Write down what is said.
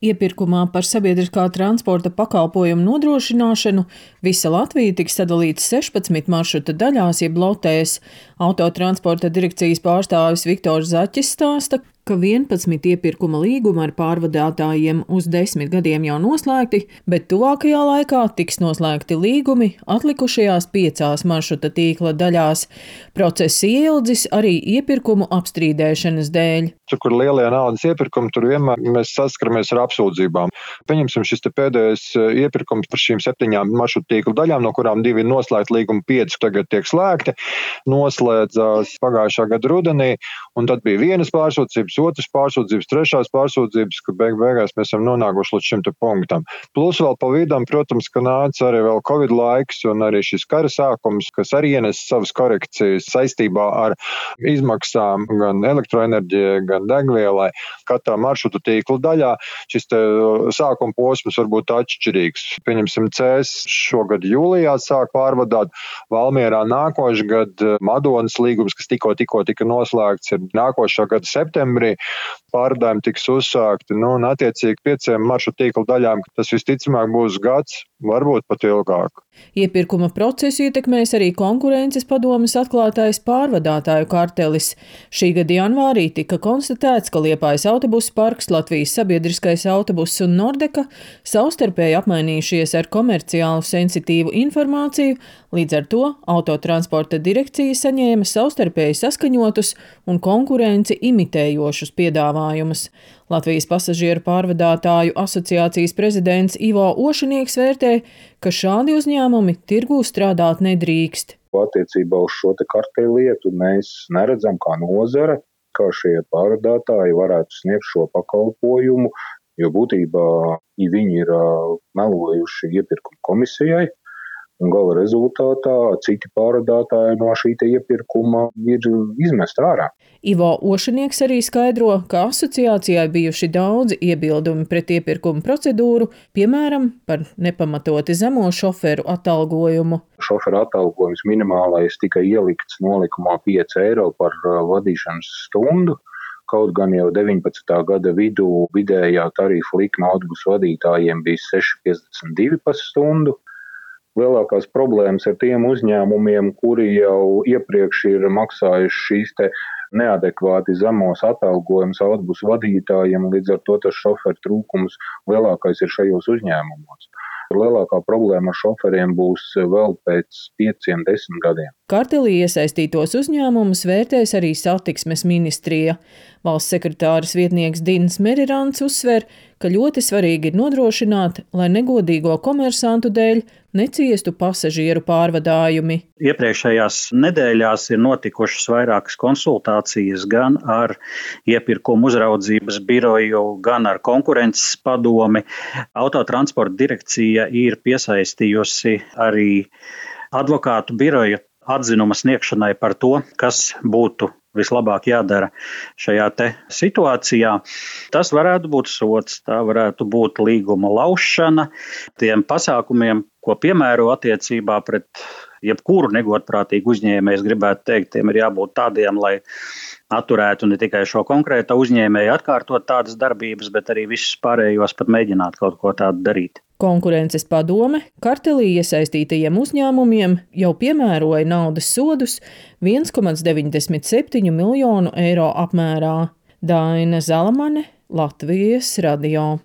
Iepirkumā par sabiedriskā transporta pakalpojumu nodrošināšanu visa Latvija tiks sadalīta 16 maršruta daļās jeb lotēs. Autotransporta direkcijas pārstāvis Viktors Zaķis stāsta, ka 11 iepirkuma līgumi ar pārvadātājiem uz 10 gadiem jau noslēgti, bet tuvākajā laikā tiks noslēgti līgumi atlikušajās 5 maršruta tīkla daļās. Process ieildzis arī iepirkumu apstrīdēšanas dēļ. Tur, kur lielie naudas iepirkumi, tur vienmēr mēs saskaramies ar apsūdzībām. Pieņemsim šis pēdējais iepirkums par šīm 7 maršrutu tīkla daļām, no kurām 2 ir noslēgti, līgumi 5 tagad tiek slēgti. Noslēdzās pagājušā gada rudenī, un tad bija vienas pārsūdzības, otras pārsūdzības, trešās pārsūdzības, ka beigās mēs esam nonākuši līdz šim punktam. Plus vēl pa vidam, protams, ka nāca arī vēl Covid laiks un arī šis kara sākums, kas arī ienes savas korekcijas saistībā ar izmaksām gan elektroenerģijai, gan degvielai. Katrā maršrutu tīkla daļā šis sākuma posms var būt atšķirīgs. Pieņemsim, Cēs šogad jūlijā sāk pārvadāt, Valmierā nākošais gada Madonas līgums, kas tikko tika noslēgts, ir nākošā gada septembrī. Pārvadājumi tiks uzsākti, un attiecīgi 5 maršrutu tīkla daļām, tas visticamāk būs gads, varbūt pat ilgāk. Iepirkuma procesu ietekmēs arī konkurences padomes atklātais pārvadātāju kartelis. Šī gada janvārī tika konstatēts, ka Liepājas autobusu parks, Latvijas sabiedriskais autobuss un Nordeka savstarpēji apmainījušies ar komerciālu sensitīvu informāciju, līdz ar to autotransporta direkcija saņēma savstarpēji saskaņotus un konkurenci imitējošus piedāvājumus. Latvijas pasažieru pārvadātāju asociācijas prezidents Ivo Ošinieks vērtē, ka šādi uzņēmumi tirgū strādāt nedrīkst. Attiecībā uz šo karteļu lietu mēs neredzam kā nozare, kā šie pārvadātāji varētu sniegt šo pakalpojumu, jo būtībā viņi ir melojuši iepirkuma komisijai. Un gala rezultātā citi pārvadātāji no šī iepirkuma ir izmesti ārā. Ivo Ošinieks arī skaidro, ka asociācijai bijuši daudzi iebildumi pret iepirkuma procedūru, piemēram, par nepamatoti zemo šoferu atalgojumu. Šoferu atalgojums minimālais tika ielikts nolikumā 5 eiro par vadīšanas stundu. Kaut gan jau 19. gada vidū vidējā tarifa likme autobusu vadītājiem bija 6,52 par stundu. Lielākās problēmas ar tiem uzņēmumiem, kuri jau iepriekš ir maksājuši šīs neadekvāti zemos atalgojumus autobusu vadītājiem, līdz ar to tas šoferu trūkums lielākais ir šajos uzņēmumos. Lielākā problēma ar šoferiem būs vēl pēc 5-10 gadiem. Kartelī iesaistītos uzņēmumus vērtēs arī satiksmes ministrija. Valsts sekretāres vietnieks Dins Merirants uzsver, ka ļoti svarīgi ir nodrošināt, lai negodīgo komersantu dēļ neciestu pasažieru pārvadājumi. Iepriekšējās nedēļās ir notikušas vairākas konsultācijas gan ar iepirkumu uzraudzības biroju, gan ar konkurences padomi. Autotransporta direkcija ir piesaistījusi arī advokātu biroju atzinuma sniegšanai par to, kas būtu vislabāk jādara šajā situācijā. Tas varētu būt sods, tā varētu būt līguma laušana. Tiem pasākumiem, ko piemēro attiecībā pret jebkuru negodprātīgu uzņēmēju, es gribētu teikt, tiem ir jābūt tādiem, lai atturētu ne tikai šo konkrēto uzņēmēju atkārtot tādas darbības, bet arī visus pārējos pat mēģināt kaut ko tādu darīt. Konkurences padome kartelī iesaistītajiem uzņēmumiem jau piemēroja naudas sodus 1,97 miljonu eiro apmērā. Daina Zalamane, Latvijas radio.